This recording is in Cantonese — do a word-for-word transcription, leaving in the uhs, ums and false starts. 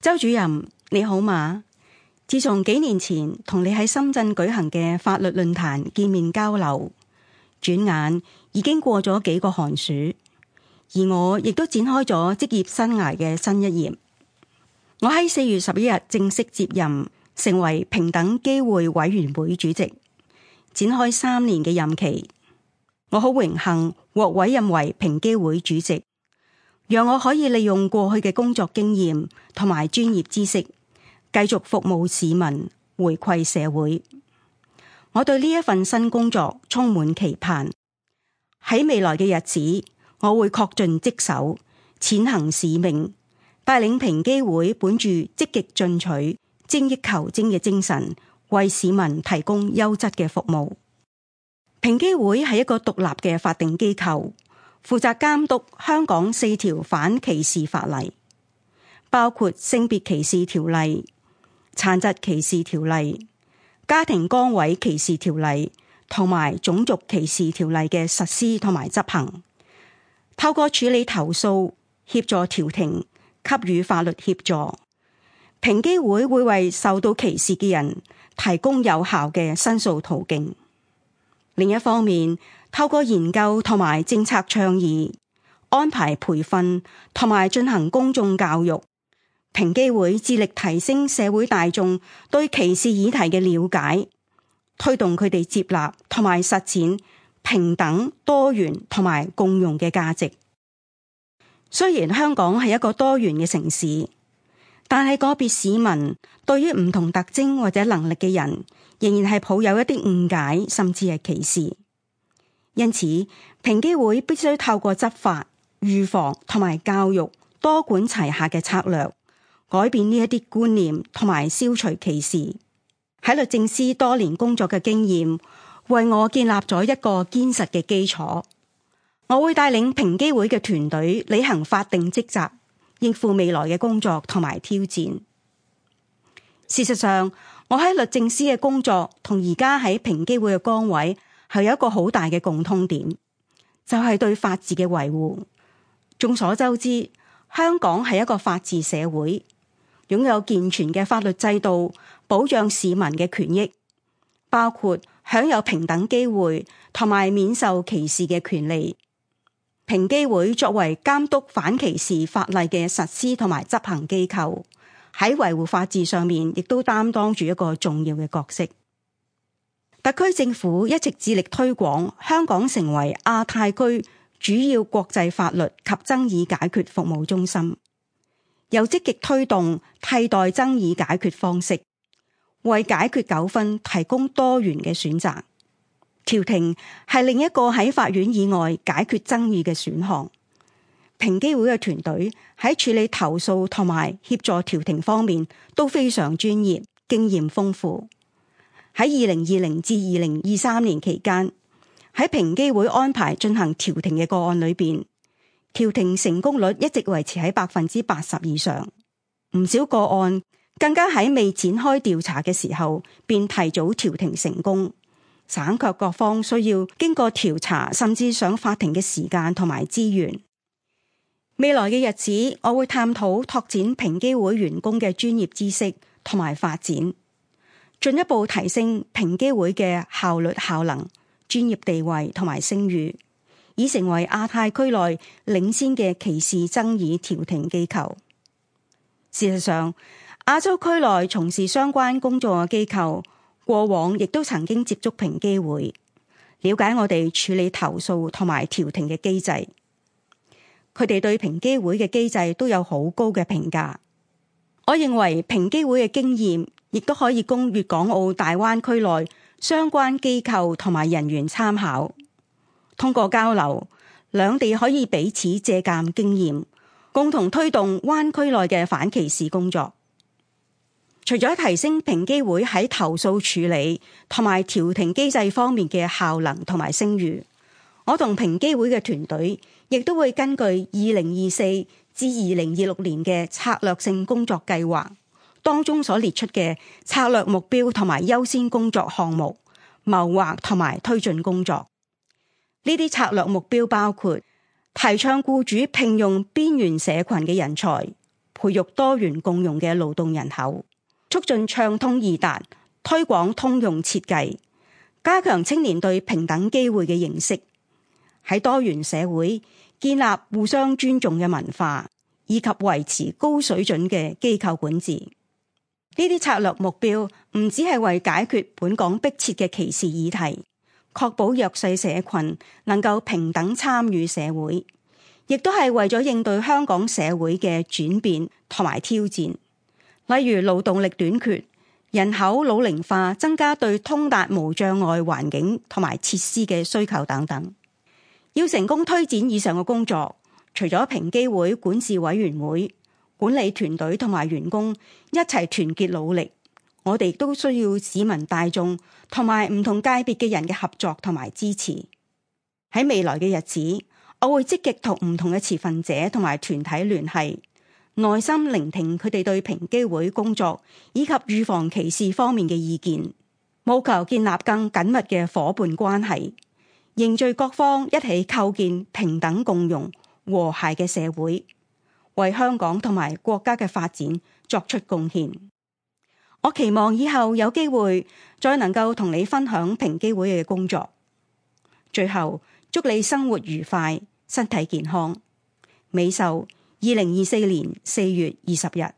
周主任你好嘛？自從幾年前同你喺深圳舉行嘅法律論壇見面交流，轉眼已經過咗幾個寒暑，而我亦都展開咗職業生涯嘅新一頁。我喺四月十一日正式接任，成為平等機會委員會主席，展開三年嘅任期。我好榮幸獲委任為平機會主席，讓我可以利用過去嘅工作經驗同埋專業知識，繼續服務市民，回饋社會。我對呢一份新工作充滿期盼。喺未來嘅日子，我會恪盡職守，踐行使命，帶領平機會本住積極進取、精益求精嘅精神，為市民提供優質嘅服務。平機會係一個獨立嘅法定機構，負責監督香港四條反歧視法例，包括性別歧視條例、殘疾歧視條例、家庭崗位歧視條例同埋種族歧視條例嘅實施同埋執行。透過處理投訴、協助調停、給予法律協助，平機會會為受到歧視嘅人提供有效嘅申訴途徑。另一方面，透過研究同埋政策倡議、安排培訓同埋進行公眾教育，平機會致力提升社會大眾對歧視議題嘅了解，推動佢哋接納同埋實踐平等、多元同埋共融嘅價值。雖然香港係一個多元嘅城市，但係個別市民對於唔同特徵或者能力嘅人，仍然係抱有一啲誤解，甚至係歧視。因此，平機會必須透過執法、預防同埋教育多管齊下嘅策略，改變呢一啲觀念同埋消除歧視。喺律政司多年工作嘅經驗，為我建立咗一個堅實嘅基礎。我會帶領平機會嘅團隊履行法定職責，應付未來嘅工作同埋挑戰。事實上，我喺律政司嘅工作同而家喺平機會嘅崗位係有一個好大嘅共通點，就係對法治嘅維護。眾所周知，香港係一個法治社會，擁有健全嘅法律制度，保障市民嘅權益，包括享有平等機會同埋免受歧視嘅權利。平機會作為監督反歧視法例嘅實施同埋執行機構，喺維護法治上面亦都擔當住一個重要嘅角色。特區政府一直致力推廣香港成為亞太區主要國際法律及爭議解決服務中心，又積極推動替代爭議解決方式，為解決糾紛提供多元嘅選擇。調停係另一個喺法院以外解決爭議嘅選項。平機會嘅團隊喺處理投訴同埋協助調停方面都非常專業，經驗豐富。喺二零二零至二零二三年期間，喺平機會安排進行調停嘅個案裏邊，調停成功率一直維持喺百分之八十以上。唔少個案更加喺未展開調查嘅時候便提早調停成功，省卻各方需要經過調查甚至上法庭嘅時間同埋資源。未來嘅日子，我會探討拓展平機會員工嘅專業知識同埋發展，進一步提升平機會嘅效率效能、專業地位同埋聲譽，以成為亞太區內領先嘅歧視爭議調停機構。事實上，亞洲區內從事相關工作嘅機構過往亦都曾經接觸平機會，了解我哋處理投訴同埋調停嘅機制。佢哋對平機會嘅機制都有好高嘅評價。我認為平機會嘅經驗亦都可以供粵港澳大灣區內相關機構同埋人員參考。通過交流，兩地可以彼此借鑑經驗，共同推動灣區內嘅反歧視工作。除咗提升平機會喺投訴處理同埋調停機制方面嘅效能同埋聲譽，我同平機會嘅團隊亦都會根據二零二四至二零二六年嘅策略性工作計劃當中所列出嘅策略目標同埋優先工作項目，謀劃同埋推進工作。呢啲策略目標包括提倡僱主聘用邊緣社群嘅人才，培育多元共融嘅勞動人口，促進暢通易達，推廣通用設計，加強青年對平等機會嘅認識，喺多元社會建立互相尊重嘅文化，以及維持高水準嘅機構管治。呢啲策略目標唔只係為解決本港迫切嘅歧視議題，確保弱勢社群能夠平等參與社會，亦都係為咗應對香港社會嘅轉變同埋挑戰，例如勞動力短缺、人口老齡化，增加對通達無障礙環境同埋設施嘅需求等等。要成功推展以上嘅工作，除咗平機會管治委員會、管理團隊同埋員工一齊團結努力，我哋亦都需要市民大眾同埋唔同界別嘅人嘅合作同埋支持。喺未來嘅日子，我會積極同唔同嘅持份者同埋團體聯繫，耐心聆聽佢哋對平機會工作以及預防歧視方面嘅意見，務求建立更緊密嘅夥伴關係，凝聚各方一起構建平等共融、和諧嘅社會，為香港同埋國家嘅發展作出貢獻。我期望以後有機會再能夠同你分享平機會嘅工作。最後，祝你生活愉快，身體健康。美秀，二零二四年四月二十日。